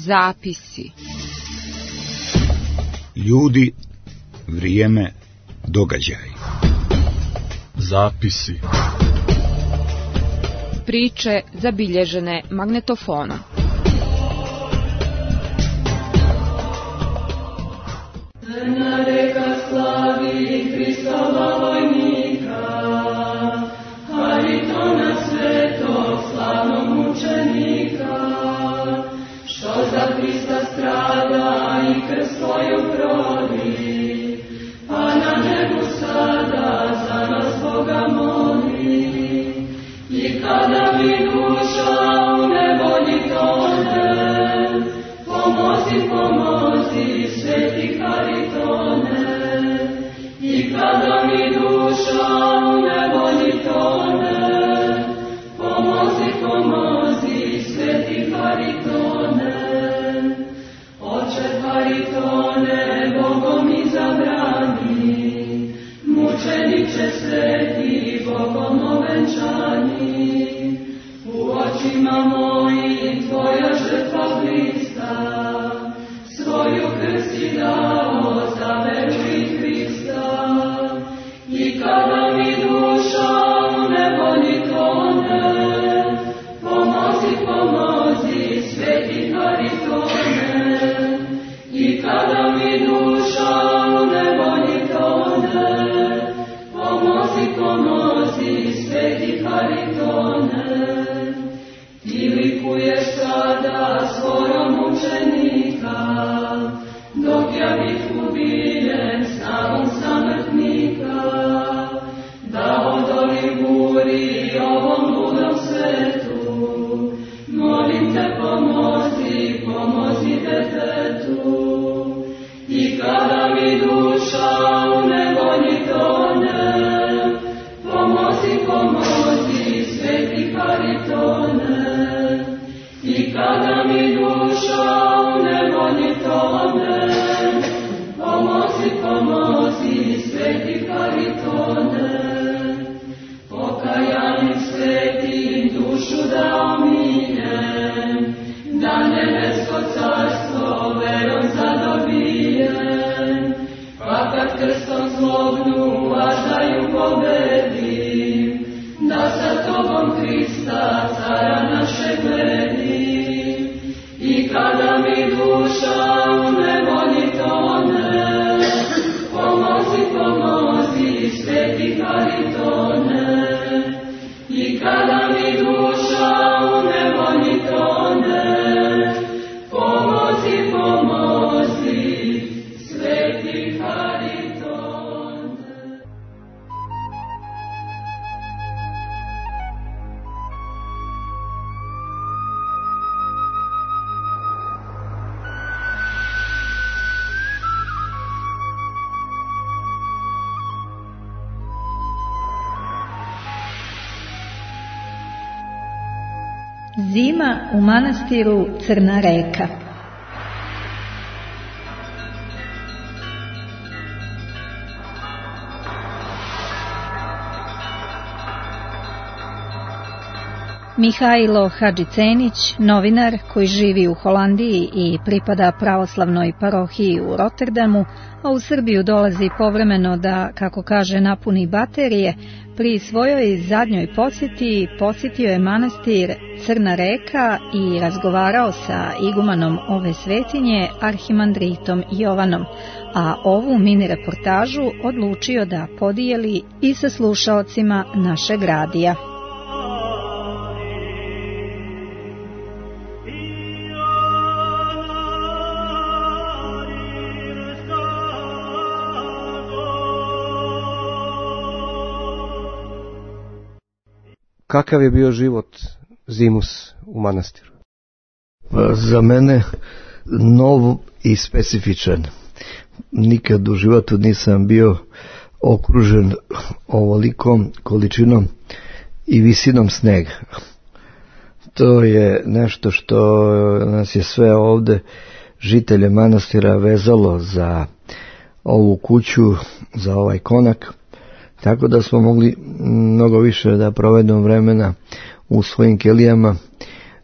Zapisi. Ljudi, vrijeme, događaj. Zapisi. Priče zabilježene magnetofonom. Crna reka slavi Hristova vojnika, Haritona svetog slavnog mučenika, što za Hrista strada i krv svoju proli, pa na nebu sada za nas Boga moli. I kada mi duša u nevolji tone, pomozi, pomozi, sveti Haritone. I kada mi duša u nevolji tone, pomozi, pomozi, sveti Haritone. Oče Haritone, Bogom izabrani, mučeniče sveti, Bogom ovenčani, u očima mojim tvoja žrtva blista, svoju krv si dao za veru i Hrista. I kada mi duša u nevolji tone, pomozi, pomozi, sveti Haritone. I kada mi duša u nevolji tone, pomozi, pomozi, sveti Haritone. Ti likuješ sada svojom mučenika, dok ja bih ubijen snagom samrtnika, da odoli buri ovom ludom svetu. Molim te, pomozi, pomozi detetu. I kada mi duša u nevolji tone, pomozi, pomozi, sveti Haritone. I kada mi duša u nevolji tone, pomozi, pomozi, sveti Haritone. Pokajanim svetim dušu da omiljem, da nebesko carstvo verom zadobijem. Pa kad krstom zlobnu važdaju pobedim, da sa tobom Hrista cara naše gledim. I kada mi duša u nevolji tone, pomozi, pomozi, sveti Haritone. I kada mi duša u nevolji tone, pomozi, pomozi, sveti Haritone. Zima u manastiru Crna reka. Mihajlo Hadžicenić, novinar koji živi u Holandiji i pripada pravoslavnoj parohiji u Rotterdamu, a u Srbiju dolazi povremeno da, kako kaže, napuni baterije, pri svojoj zadnjoj posjeti posjetio je manastir Crna reka i razgovarao sa igumanom ove svetinje, arhimandritom Jovanom, a ovu mini reportažu odlučio da podijeli i sa slušaocima našeg radija. Kakav je bio život zimus u manastiru? Za mene nov i specifičan. Nikad u životu nisam bio okružen ovolikom količinom i visinom snega. To je nešto što nas je sve ovde, žitelje manastira, vezalo za ovu kuću, za ovaj konak. Tako da smo mogli mnogo više da provedemo vremena u svojim kelijama,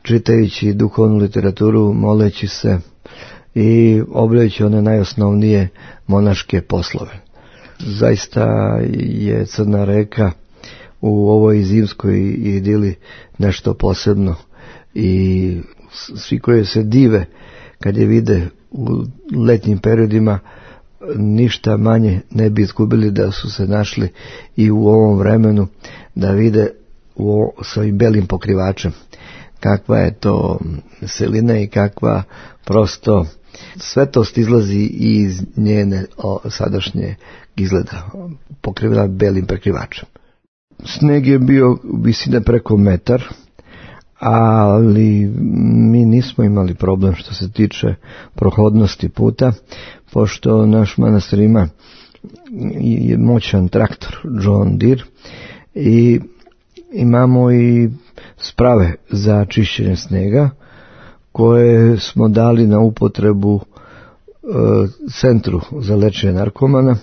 čitajući duhovnu literaturu, moleći se i obavljajući one najosnovnije monaške poslove. Zaista je Crna reka u ovoj zimskoj idili nešto posebno i svi koji se dive kad je vide u letnjim periodima ništa manje ne bi izgubili da su se našli i u ovom vremenu da vide sa ovim belim pokrivačem kakva je to selina i kakva prosto svetost izlazi iz njene sadašnje izgleda, pokrivena belim prekrivačem. Sneg je bio visine preko metar, ali mi nismo imali problem što se tiče prohodnosti puta, pošto naš manastir ima moćan traktor John Deere i imamo i sprave za čišćenje snega koje smo dali na upotrebu centru za lečenje narkomana,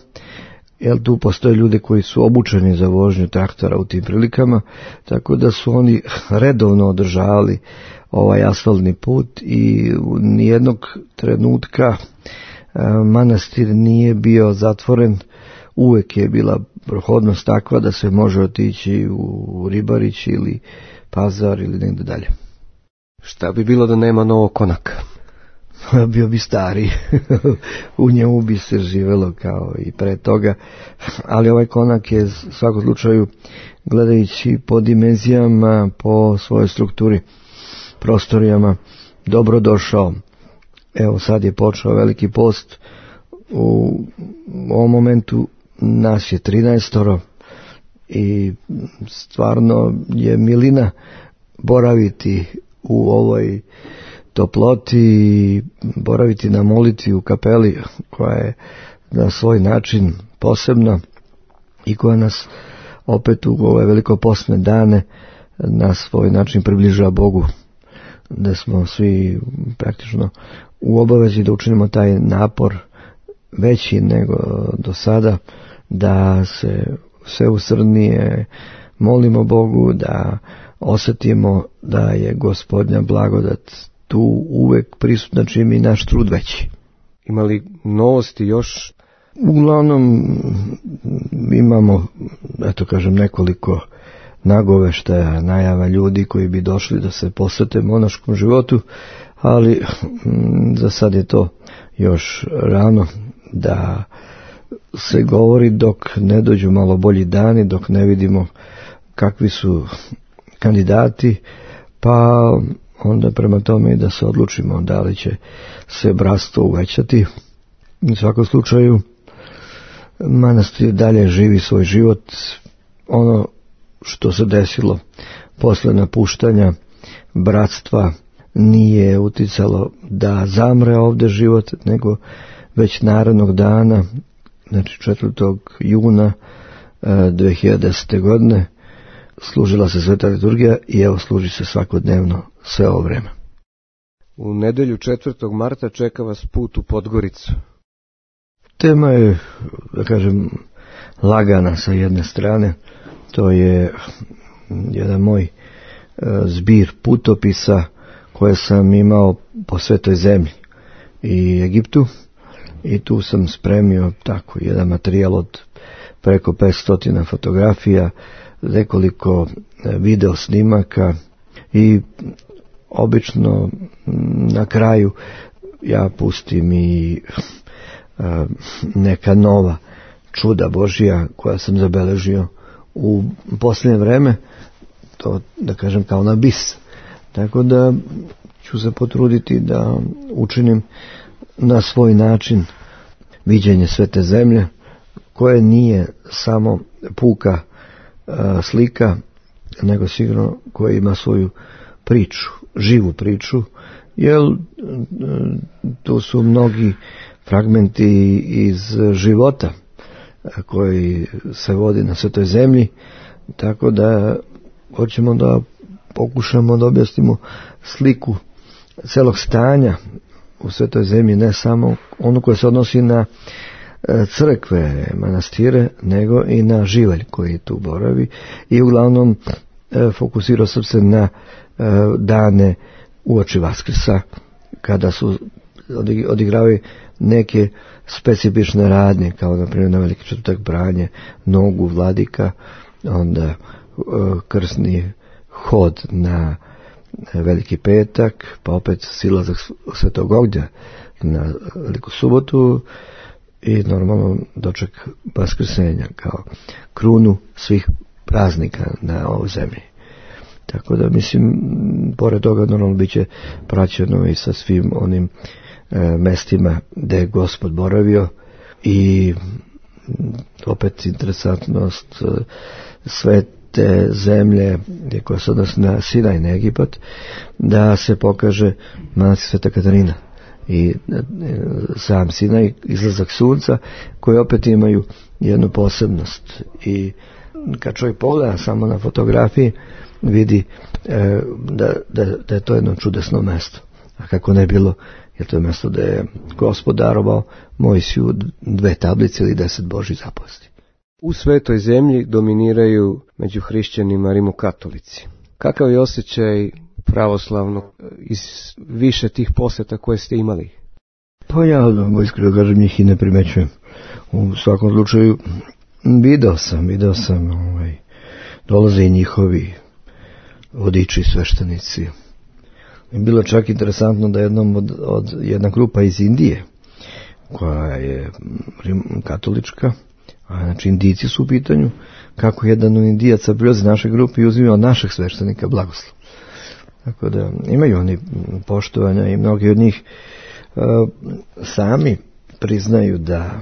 jer tu postoje ljudi koji su obučeni za vožnju traktora u tim prilikama, tako da su oni redovno održavali ovaj asfaltni put i nijednog trenutka manastir nije bio zatvoren, uvek je bila prohodnost takva da se može otići u Ribarić ili Pazar ili negdje dalje. Šta bi bilo da nema novog konaka? Bio bi stari, u njemu bi se živelo kao i pre toga, ali ovaj konak je u svakom slučaju, gledajući po dimenzijama, po svojoj strukturi, prostorijama, dobro došao. Evo sad je počeo veliki post, u ovom momentu nas je 13 i stvarno je milina boraviti u ovoj toploti i boraviti na molitvi u kapeli koja je na svoj način posebna i koja nas opet u ove velikopostne dane na svoj način približava Bogu, da smo svi praktično u obavezi da učinimo taj napor veći nego do sada, da se sve usrdnije molimo Bogu, da osjetimo da je Gospodnja blagodat tu uvek prisutna čim i naš trud veći. Ima li novosti još? Uglavnom imamo, nekoliko nagoveštaja, najava ljudi koji bi došli da se posvete monaškom životu, ali za sad je to još rano da se govori dok ne dođu malo bolji dani, dok ne vidimo kakvi su kandidati, pa onda prema tome i da se odlučimo da li će se bratstvo uvećati. U svakom slučaju manastir dalje živi svoj život. Ono što se desilo posle napuštanja bratstva nije uticalo da zamre ovdje život, nego već narednog dana, znači 4. juna 2010. godine, služila se sveta liturgija i evo služi se svakodnevno sve ovo vreme. U nedelju 4. marta čeka vas put u Podgoricu. Tema je, lagana sa jedne strane. To je jedan moj zbir putopisa koje sam imao po svetoj zemlji i Egiptu, i tu sam spremio tako jedan materijal od preko 500 fotografija, nekoliko video snimaka i obično na kraju ja pustim i neka nova čuda Božja koja sam zabeležio u posljednje vreme, to da kažem kao na bis. Tako da ću se potruditi da učinim na svoj način viđenje svete zemlje, koje nije samo puka slika, nego sigurno koje ima svoju priču, živu priču, jer tu su mnogi fragmenti iz života koji se vodi na svetoj zemlji, tako da hoćemo da pokušamo da objasnimo sliku celog stanja u svetoj zemlji, ne samo ono koje se odnosi na crkve, manastire, nego i na živalj koji tu boravi, i uglavnom fokusirao sam se na dane uoči Vaskrsa, kada su odigravaju neke specifične radnje, kao na primjer na Veliki četvrtak branje nogu vladika, onda krsni hod na Veliki petak, pa opet silazak Svetog Ognja na Veliku subotu i normalno doček Vaskrsenja kao krunu svih praznika na ovoj zemlji. Tako da mislim, pored toga normalno bit će praćeno i sa svim onim mestima gde je Gospod boravio i opet interesantnost sve te zemlje koja se odnosi na Sinaj, na Egipat, da se pokaže manastir Sveta Katarina i sam Sinaj, izlazak sunca, koji opet imaju jednu posebnost. I kad čovjek pogleda samo na fotografiji, vidi da je to jedno čudesno mesto. A kako ne bilo, je to mesto da je Gospod darovao Mojsiju 2 tablice ili 10 Božjih zapovesti. U Svetoj zemlji dominiraju među hrišćanima rimokatolici. Kakav je osjećaj pravoslavnog iz više tih posjeta koje ste imali? Pa ja, iskreno kažem, njih i ne primećujem. U svakom slučaju video sam dolaze i njihovi vodiči, sveštenici. I bilo čak interesantno da jedna grupa iz Indije, koja je katolička, a znači Indijci su u pitanju, kako jedan od Indijaca prilazi naše grupe i uzima od našeg sveštenika blagoslov. Tako da imaju oni poštovanja i mnogi od njih sami priznaju da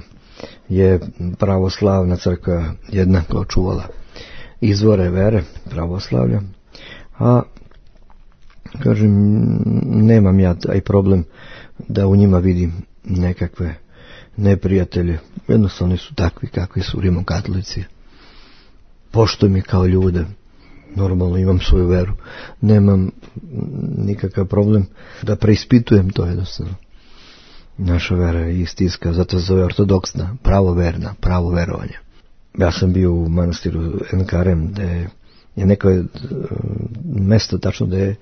je pravoslavna crkva jednako čuvala izvore vere pravoslavlja, a kažem, nemam ja taj problem da u njima vidim nekakve neprijatelje. Jednostavno oni su takvi kakvi su rimokatolici. Poštujem ih kao ljude, normalno imam svoju veru, nemam nikakav problem da preispitujem to jednostavno. Naša vera je istinska, zato se zove ortodoksna, pravoverna, pravo verovanje. Ja sam bio u manastiru Enkarem, gde je neko mesto tačno da je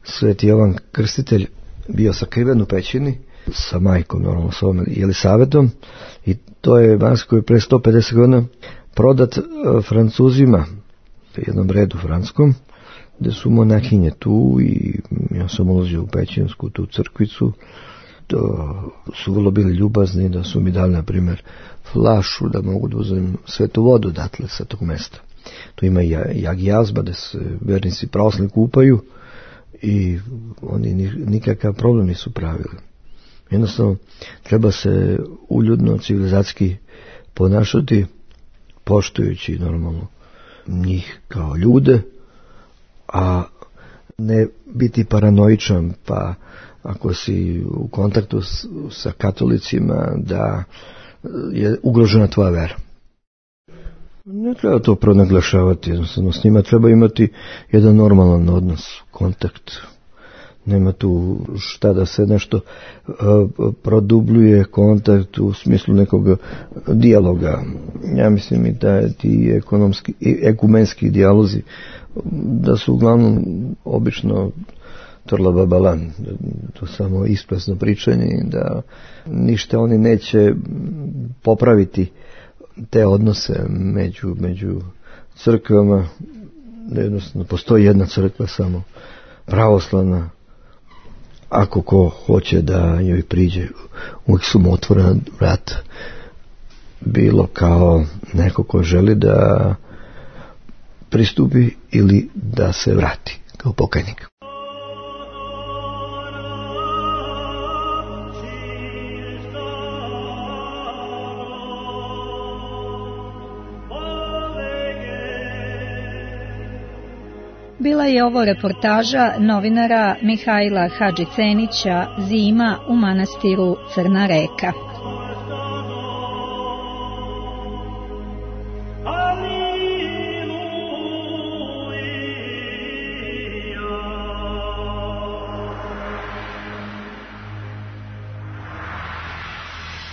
Sveti Jovan Krstitelj bio sakriven u pećini sa majkom, normalno s ovom Jelisavetom, i to je manastir koji je pre 150 godina prodat Francuzima, jednom redu francuskom, gde su monahinje tu i ja sam ulazio u pećinsku tu crkvicu. To su vrlo bili ljubazni, da su mi dali na primjer flašu da mogu da uzem svetu vodu odatle sa tog mesta. Tu ima i jazba da se vernici pravoslavni kupaju i oni nikakav problem nisu pravili. Jednostavno treba se uljudno, civilizacijski ponašati, poštujući normalno njih kao ljude, a ne biti paranoičan, pa ako si u kontaktu sa katolicima da je ugrožena tvoja vera. Ne treba to pronaglašavati, jednostavno s njima treba imati jedan normalan odnos, kontakt. Nema tu šta da se nešto produbljuje kontakt u smislu nekog dijaloga. Ja mislim i da ti ekumenski dijalozi da su uglavnom obično torla babalan, to samo isprazno pričanje i da ništa oni neće popraviti te odnose među crkvama, da jednostavno postoji jedna crkva samo pravoslavna, ako ko hoće da joj priđe, uvijek su mu otvorena vrata, bilo kao neko ko želi da pristupi ili da se vrati kao pokajnik. Bila je ovo reportaža novinara Mihajla Hadžicenića Zima u manastiru Crna Reka.